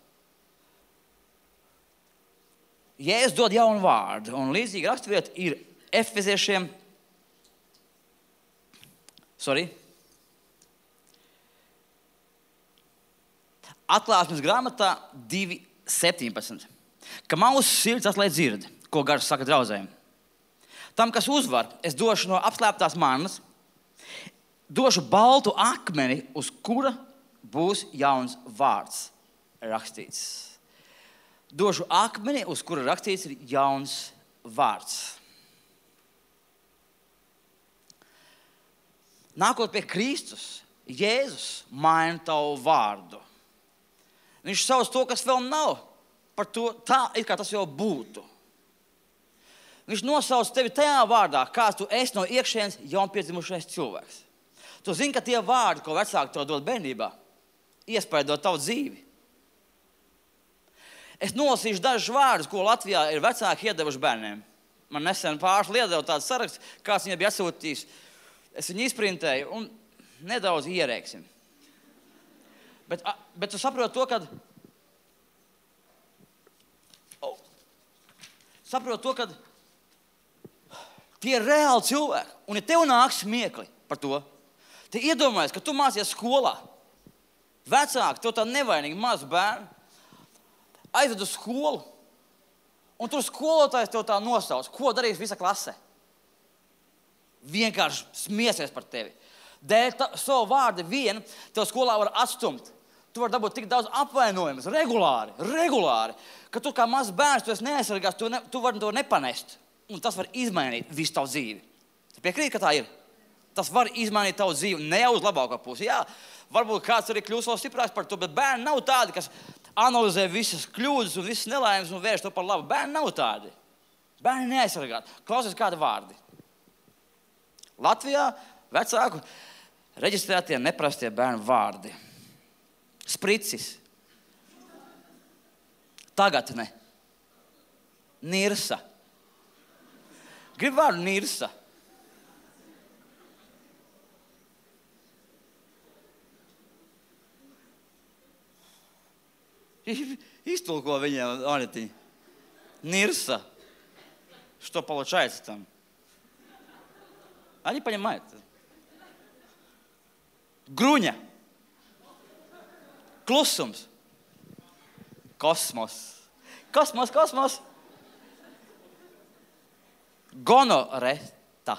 Jēzus dod jaunu vārdu, un līdzīgi raksturvieta ir Efeziešiem. Atklāsmes grāmatā 2:17. Ka mūsu sirds atklāj dzird, ko Gars saka draudzēm. Tam, kas uzvar, es došu no apslēptās mannas, došu baltu akmeni, uz kura būs jauns vārds rakstīts. Došu akmeni, uz kura rakstīts ir jauns vārds. Nākot pie Kristus, Jēzus maina tavu vārdu. Viņš sauc to, kas vēl nav, par to tā, it kā tas jau būtu. Viņš nosauc tevi tajā vārdā, kāds tu esi no iekšienes jaunpiedzimušais cilvēks. Tu zini, ka tie vārdi, ko vecāki tev dod bērnībā, iespaido tavu dzīvi. Es nolasīšu dažus vārdus, ko Latvijā ir vecāki iedevuši bērniem. Man nesen pārsli iedeva tāds saraksts, kāds viņai bija atsūtījis. Es viņu izprintēju un nedaudz ierēksim. Bet tu saproti to, ka... Saproti to, ka tie ir reāli cilvēki. Un ja tev nāk smiekli par to, te iedomājies, ka tu mācies skolā. Vecāki, tev tā nevainīgi maz bērni, aizved uz skolu, un tur skolotājs tev tā nosauc. Ko darīs visa klase? Vienkārši smiesies par tevi. Dēļ savu vārdu vienu, tev skolā var atstumt. Tu vari dabūt tik daudz apvainojumus, regulāri, ka tu kā mazs bērns, tu esi neaizsargās, tu vari to nepanest. Un tas var izmainīt visu tavu dzīvi. Tu piekrīti, ka tā ir? Tas var izmainīt tavu dzīvi ne jau uz labāko pusi. Jā, varbūt kāds arī kļūs vēl stiprāks par to, bet bērni nav tādi, kas analizē visas kļūdas un visas nelaimes un vērš to par labu. Bērni nav tādi. Bērni neaizsargāti. Klausies kādi vārdi. Latvijā vecāku reģistrētie neprastie bērnu vārdi. Spricis. Tagad ne. Nirsa. Grib vārdu nirsa. Iztulko viņiem, Anetiņa. Nirsa. Что получается там? Они понимают. Gruņa. Klusums. Kosmos. Kosmos. Gonoreta.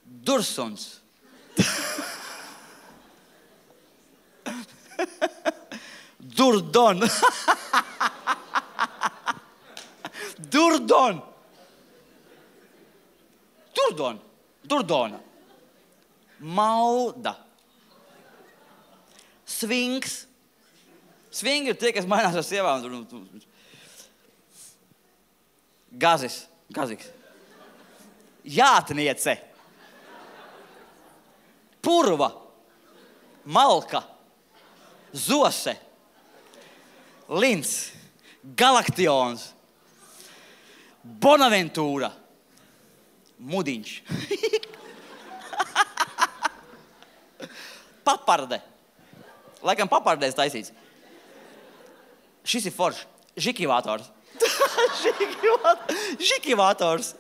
Dursuns. Durdon. Durdona. Mauda. Svings. Svingi ir tie, kas mainās ar sievām. Gaziks. Jātniece. Purva. Malka. Zose. Lins. Galaktions. Bonaventūra. Mudiņš. Paparde. Laikam papardēs taisīts. Šis ir foršs. Žikivators. Žikivators.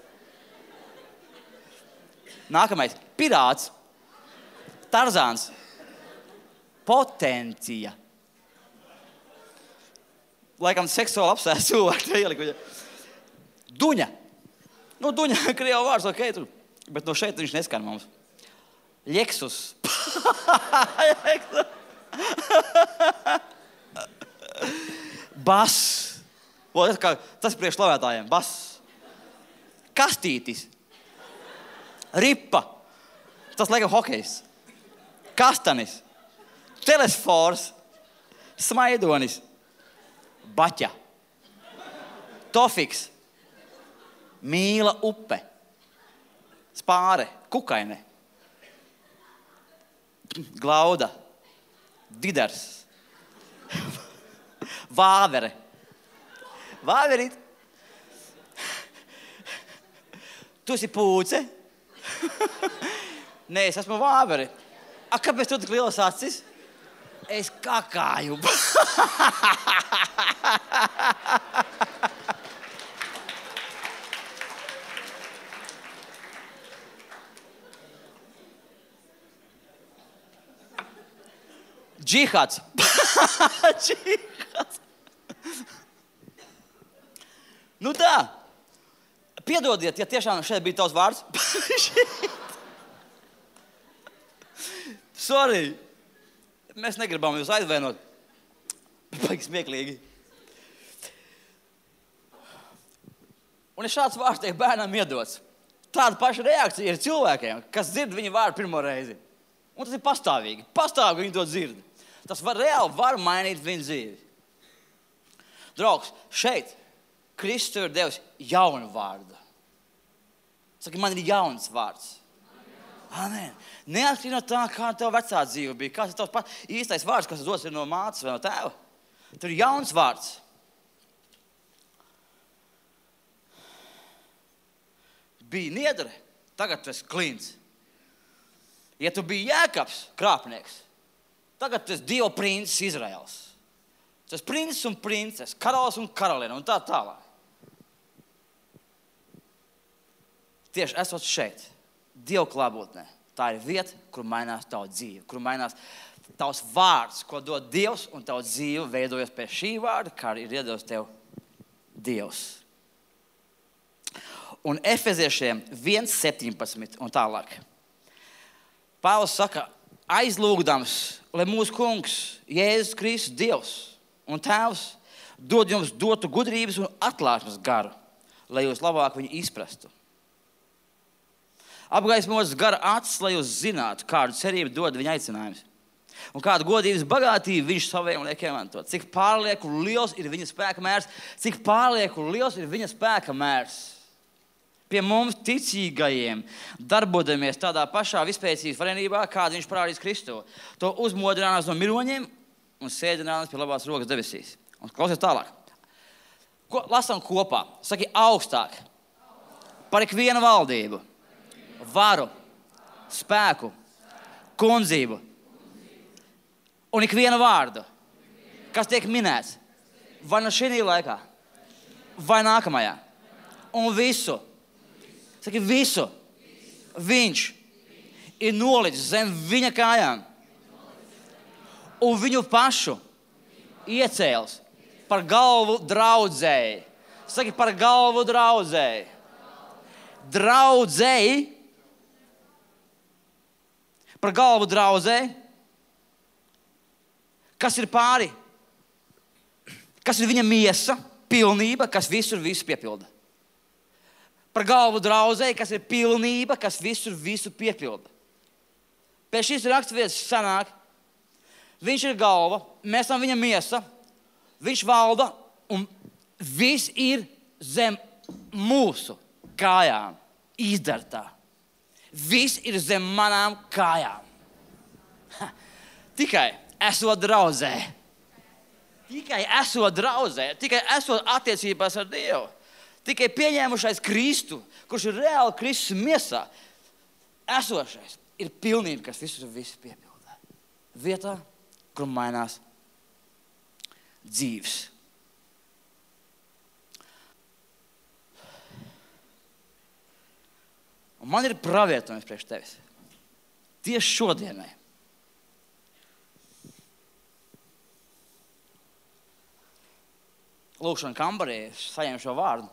Nākamais. Pirāts. Tarzāns. Potencija. Laikam seksuāli apsēst cilvēku. Duņa. Duņa, krievu vārds, ok, tur. Bet no šeit viņš neskan mums. Ļeksus. Bas. Tas priekš slavētājiem. Bas. Kastītis. Ripa. Tas laikam hokejs. Kastanis. Telesfors. Smaidonis. Baķa. Tofiks. Mīla upe. Spāre. Kukaine. Glauda. Didars. Vāvere. Vāverīt. Tu esi pūce? Nē, es esmu vāveri. Kāpēc tu tik lielas acis? Es kakāju. Džihāds. Džihāds. Tā. Piedodiet, ja tiešām šeit bija tavs vārds. Sorry. Mēs negribam jūs aizvainot. Baigi smieklīgi. Un ja šāds vārds tiek bērnam iedots, tāda paša reakcija ir cilvēkiem, kas dzird viņa vārdu pirmo reizi. Un tas ir pastāvīgi. Pastāvīgi viņi to dzird. Tas reāli var mainīt viņu dzīvi. Draugs, šeit Kristus ir devis jaunu vārdu. Saka, man ir jauns vārds. Amen. Neatkarīgi no tā, kā tev vecā dzīve bija, kāds ir tavs īstais vārds, kas dos ir no mātes vai no tēva. Tur ir jauns vārds. Bija niedre, tagad tu esi klīns. Ja tu biji Jēkabs, krāpnieks, tagad tu esi Dieva princis Izraels. Tu esi princis un princes, karalis un karaliene un tā tālāk. Tieši esot šeit, Dieva klātbūtnē, tā ir vieta, kur mainās tavu dzīvi, kur mainās tavs vārds, ko dod Dievs, un tavu dzīvi veidojas pie šī vārda, kā ir iedevis tev Dievs. Un Efeziešiem 1:17 un tālāk. Pāvils saka, aizlūgdams, lai mūsu kungs, Jēzus Kristus, Dievs un Tēvs, dod jums dotu gudrības un atklāsmes garu, lai jūs labāk viņu izprastu. Apgaismotas gara acis, lai jūs zinātu, kādu cerību dod viņa aicinājums. Un kādu godības bagātību viņš saviem liek iemantot. Cik pārlieku liels ir viņa spēka mērs, cik pārlieku liels ir viņa spēka mērs. Pie mums ticīgajiem darbodamies tādā pašā vispēcības varenībā, kādu viņš parādīs Kristu. To uzmodrinās no miroņiem un sēdinās pie labās rokas debesīs. Un klausies tālāk. Lasām kopā. Saki augstāk. Par ikvienu valdību, varu, spēku, kundzību un ikvienu vārdu, kas tiek minēts vai no šī laikā, vai nākamajā. Un visu, saki visu, viņš ir nolicis zem viņa kājām un viņu pašu iecēlis par galvu draudzēji. Saki par galvu draudzēji. Draudzēji. Par galvu draudzēji. Kas ir pāri? Kas ir viņa miesa, pilnība, kas visur visu piepilda. Par galvu draudzēji, kas ir pilnība, kas visur visu piepilda. Pēc šīs raksturvietas sanāk, viņš ir galva, mēs esam viņa miesa, viņš valda un viss ir zem mūsu kājām izdartā. Viss ir zem manām kājām. Tikai esot draudzē. Tikai esot draudzē. Tikai esot attiecībās ar Dievu. Tikai pieņēmušais Kristu, kurš ir reāli Kristus miesā, esošais ir pilnība, kas visu piepildā. Vietā, kur mainās dzīves. Un man ir pravietojums priekš tevis. Tieši šodienai. Lūkšana kambarī saņēmu šo vārdu.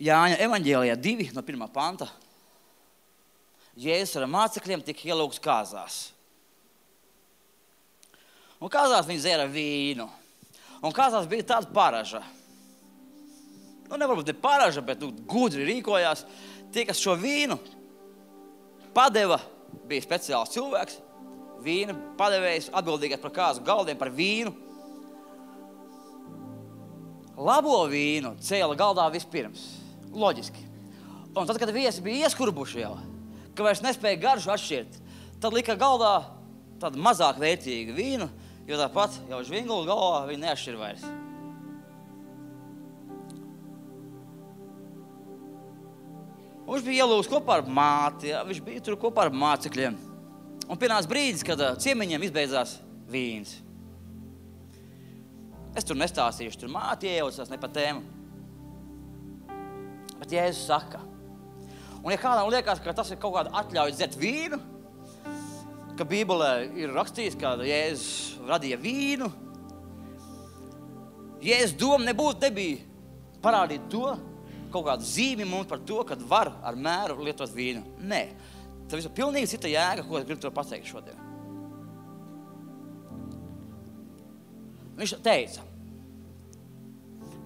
Jāņa evaņģēlijā 2 no 1. panta. Jēzus ar mācekļiem tika ielūgts kāzās. Un kāzās viņi dzēra vīnu. Un kāzās bija tāda paraža. Nevarbūt ne paraža, bet gudri rīkojās. Tie, kas šo vīnu padeva, bija speciāls cilvēks. Vīna padevējs, atbildīgais par kāzu galdiem, par vīnu. Labo vīnu cēla galdā vispirms. Loģiski. Un tad, kad viesi bija ieskurbuši jau, ka vairs nespēja garšu atšķirt, tad lika galdā tādu mazāk vērtīgu vīnu, jo tāpat jau žvingulu galvā viņi neatšķir vairs. Un viņš bija ielūgts kopā ar māti, ja? Viņš bija tur kopā ar mācekļiem. Un pienāca brīdis, kad ciemiņiem izbeidzās vīns. Es tur nestāstīšu, tur māti iejaucās, ne pa tēmu. Bet Jēzus saka, un ja kādam liekas, ka tas ir kaut kāda atļauja dzert vīnu, ka Bībelē ir rakstīts, ka Jēzus radīja vīnu, Jēzus doma nebija parādīt to, kaut kādu zīmi mums par to, kad var ar mēru lietot vīnu. Nē, tas ir pilnīgi cita jēga, ko es gribu to pateikt šodien. Viņš teica,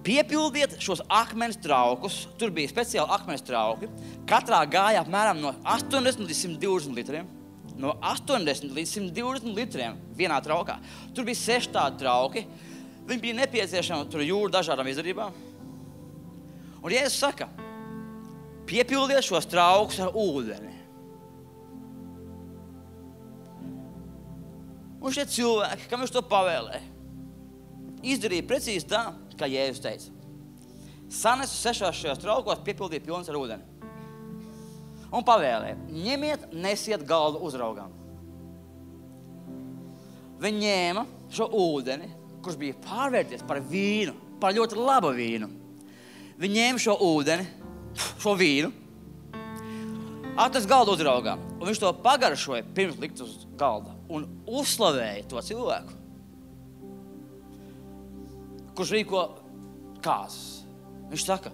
piepildiet šos akmens traukus, tur bija speciāli akmens trauki, katrā gāja apmēram no 80 līdz 120 litriem, no 80 līdz 120 litriem vienā traukā. Tur bija 6 tādi trauki, viņi bija nepieciešami tur jūru dažādām izdarībām. Un Jēzus saka, piepildiet šos traukus ar ūdeni. Un šie cilvēki, kam viņš to pavēlēja, izdarīja precīzi tā, kā Jēzus teica. Sanesu 6 šajos traukos, piepildīja pilns ar ūdeni. Un pavēlēja, ņemiet, nesiet galdu uzraugam. Viņi ņēma šo ūdeni, kurš bija pārvērties par vīnu, par ļoti labu vīnu. Viņi ņēma šo ūdeni, šo vīnu, atnes galdu uzraugām, un viņš to pagaršoja pirms likt uz galda un uzslavēja to cilvēku, kurš rīko kāzas. Viņš saka,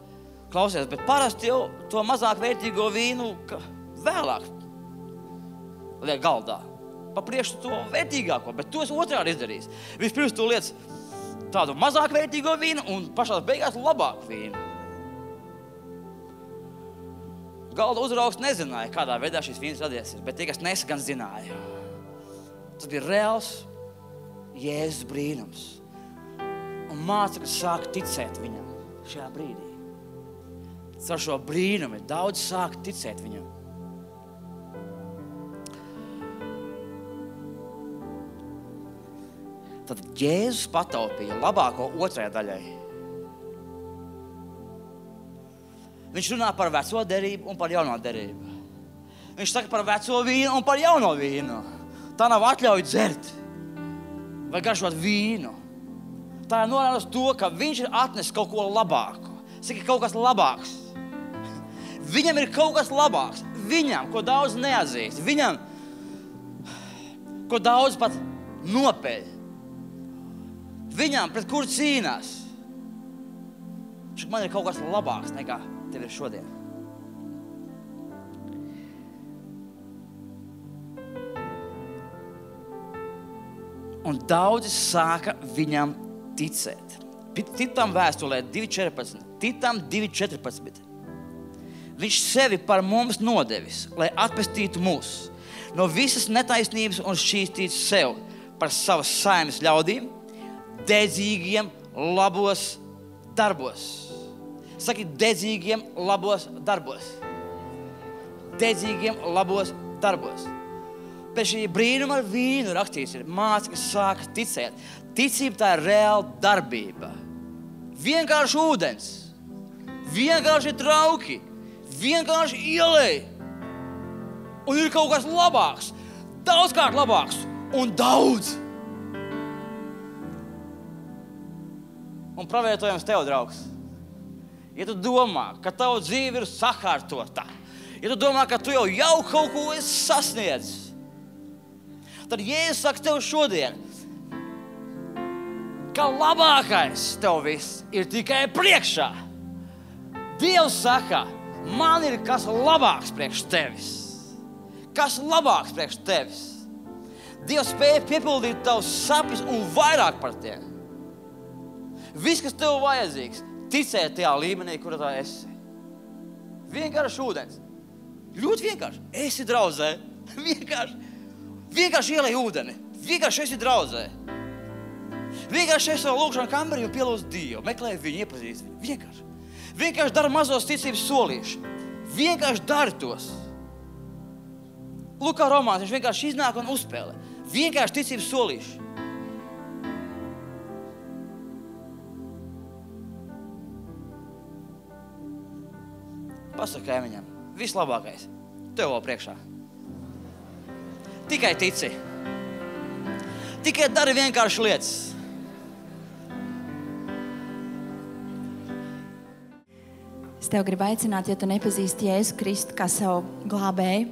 klausies, bet parasti jau to mazāk vērtīgo vīnu vēlāk liek galdā, pa priekšu to vērtīgāko, bet to es otrādi izdarīju. Vispirms tu liec tādu mazāk vērtīgo vīnu un pašās beigās labāku vīnu. Galda uzraugs nezināja, kādā veidā šīs vīnas radies, bet tie, kas nesa, gan zināja. Tas bija reāls Jēzus brīnums. Un mācekļi sāk ticēt viņam šajā brīdī. Ar šo brīnumu daudz sāk ticēt viņam. Tad Jēzus pataupīja labāko otrajai daļai. Viņš runā par veco derību un par jauno derību. Viņš saka par veco vīnu un par jauno vīnu. Tā nav atļauja dzert vai garšot vīnu. Tā ir norāda uz to, ka viņš ir atnesis kaut ko labāku. Saka, kaut kas labāks. Viņam ir kaut kas labāks. Viņam, ko daudz neatzīst. Viņam, ko daudz pat nopeļ. Viņam, pret kuru cīnās. Man ir kaut kas labāks nekā tev ir šodien. Un daudzi sāka viņam ticēt. Titam vēstulē 2.14. Titam 2.14. Viņš sevi par mums nodevis, lai atpestītu mūs no visas netaisnības un šķīstītu sev par savas saimes ļaudīm, dedzīgiem labos darbos. Saki, dedzīgiem labos darbos. Dedzīgiem labos darbos. Pēc šī brīnuma ar vīnu rakstīts ir mācekļi sāk ticēt. Ticība tā ir reāla darbība. Vienkārši ūdens. Vienkārši trauki. Vienkārši ielej. Un ir kaut kas labāks. Daudzkārt labāks. Un daudz. Un pravietojums tev, draugs. Ja tu domā, ka tava dzīve ir sakārtota, ja tu domā, ka tu jau kaut ko esi sasniedzis, tad Jēzus saka tev šodien, ka labākais tev viss ir tikai priekšā. Dievs saka, man ir kas labāks priekš tevis. Kas labāks priekš tevis. Dievs spēja piepildīt tavus sapņus un vairāk par tiem. Viss, kas tev vajadzīgs, ticēt tajā līmenī, kur tā esi. Vienkārši ūdens. Ļoti vienkārši. Esi draudzē. Vienkārši ielej ūdeni. Vienkārši esi draudzē. Vienkārši esi savu lūkšanu kambarī un pielūdz Dievu. Meklē viņu, iepazīst viņu. Vienkārši dara mazos ticības solīšus. Vienkārši dari tos. Lūk, kā romāns, viņš vienkārši iznāk un uzspēlē. Vienkārši ticības solīši. Pasaka kaimiņam, vislabākais, tev vēl priekšā. Tikai tici. Tikai dari vienkārši lietas. Es tev gribu aicināt, ja tu nepazīsti Jēzu Kristu kā savu glābēju,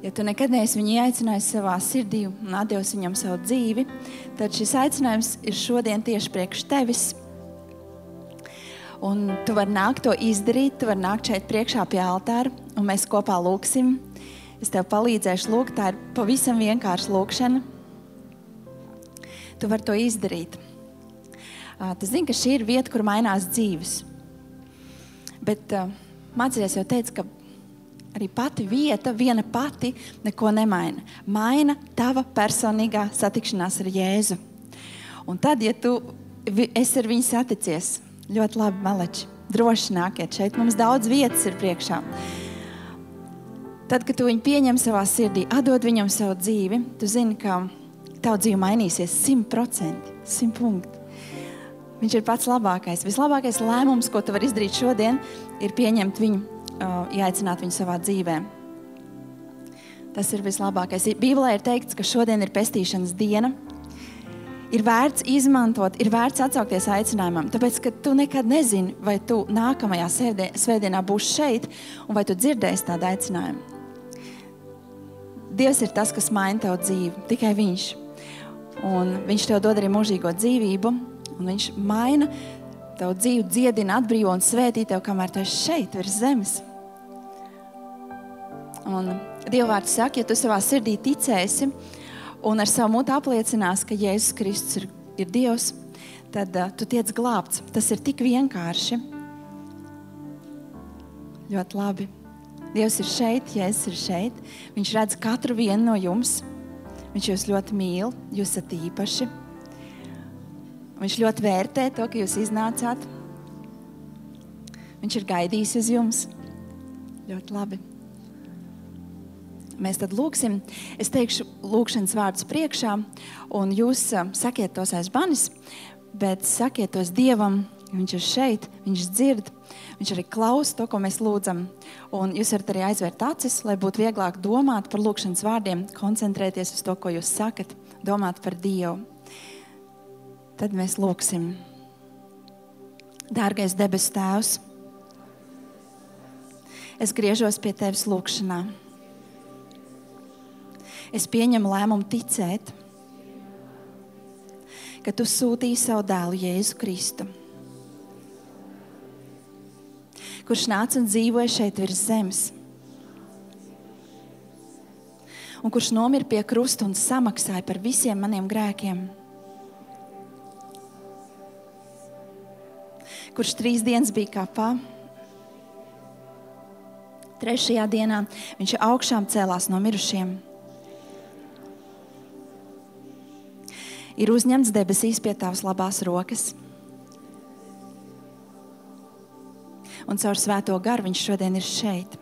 ja tu nekad neesi viņu aicinājis savā sirdī un atdevis viņam savu dzīvi, tad šis aicinājums ir šodien tieši priekš tevis. Un tu vari nākt to izdarīt, tu vari nākt šeit priekšā pie altāra, un mēs kopā lūksim. Es tev palīdzēšu lūgt, tā ir pavisam vienkārša lūkšana. Tu vari to izdarīt. Tu zini, ka šī ir vieta, kur mainās dzīves. Bet mācīties jau teica, ka arī pati vieta, viena pati, neko nemaina. Maina tava personīgā satikšanās ar Jēzu. Un tad, ja tu esi ar viņu saticies, ļoti labi, maleči, droši nākiet šeit. Mums daudz vietas ir priekšā. Tad, kad tu viņu pieņem savā sirdī, atdod viņam savu dzīvi, tu zini, ka tavu dzīve mainīsies 100%, 100 punkti. Viņš ir pats labākais. Vislabākais lēmums, ko tu vari izdarīt šodien, ir pieņemt viņu, ieaicināt viņu savā dzīvē. Tas ir vislabākais. Bībelē ir teikts, ka šodien ir pestīšanas diena. Ir vērts izmantot, ir vērts atsaukties aicinājumam, tāpēc, ka tu nekad nezini, vai tu nākamajā svētdienā būsi šeit, un vai tu dzirdēsi tādu aicinājumu. Dievs ir tas, kas maina tavu dzīvi, tikai viņš. Un viņš tev dod arī mūžīgo dzīvību, un viņš maina tavu dzīvi, dziedina, atbrīvo un svētī tev, kamēr tu esi šeit, virs zemes. Un Dieva vārds saka, ja tu savā sirdī ticēsi, un ar savu mutu apliecinās, ka Jēzus Kristus ir Dievs, tad tu tiec glābts. Tas ir tik vienkārši. Ļoti labi. Dievs ir šeit, Jēzus ir šeit. Viņš redz katru vienu no jums. Viņš jūs ļoti mīl, jūs esat īpaši. Viņš ļoti vērtē to, ka jūs iznācāt. Viņš ir gaidījis uz jums. Ļoti labi. Mēs tad lūksim. Es teikšu lūkšanas vārdus priekšā, un jūs sakiet tos aiz manis, bet sakiet tos Dievam. Viņš ir šeit, viņš dzird, viņš arī klausa to, ko mēs lūdzam. Un jūs varat arī aizvērt acis, lai būtu vieglāk domāt par lūkšanas vārdiem, koncentrēties uz to, ko jūs sakat, domāt par Dievu. Tad mēs lūksim. Dārgais debesu Tēvs, es griežos pie Tevis lūkšanā. Es pieņemu lēmumu ticēt, ka Tu sūtīji savu dēlu Jēzu Kristu, kurš nāca un dzīvoja šeit virs zemes, un kurš nomira pie krusta un samaksāja par visiem maniem grēkiem, kurš 3 dienas bija kapā, 3. dienā viņš augšām cēlās no mirušiem, ir uzņemts debesīs pie Tavas labās rokas, un caur Svēto garu viņš šodien ir šeit.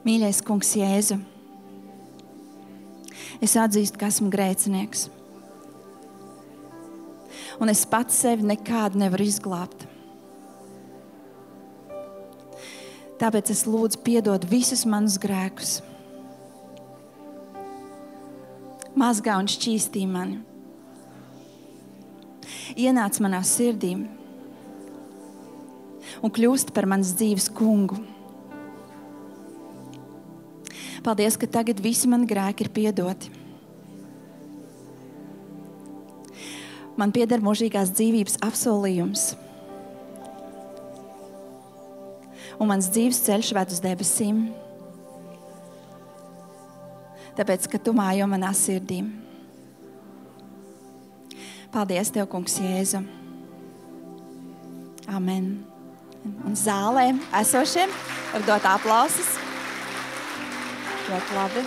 Mīļais Kungs Jēzu, es atzīstu, ka esmu grēcinieks. Un es pats sevi nekādu nevaru izglābt. Tāpēc es lūdzu piedod visus manus grēkus. Mazgā un šķīstī mani. Ienāc manā sirdī un kļūst par manas dzīves kungu. Paldies, ka tagad visi mani grēki ir piedoti. Man pieder mūžīgās dzīvības apsolījums. Un mans dzīves ceļš ved uz debesīm. Tāpēc, ka Tu mājo manā sirdī. Paldies Tev, Kungs Jēzu. Amen. Un zālē esošiem var dot aplausus. Ļoti labi.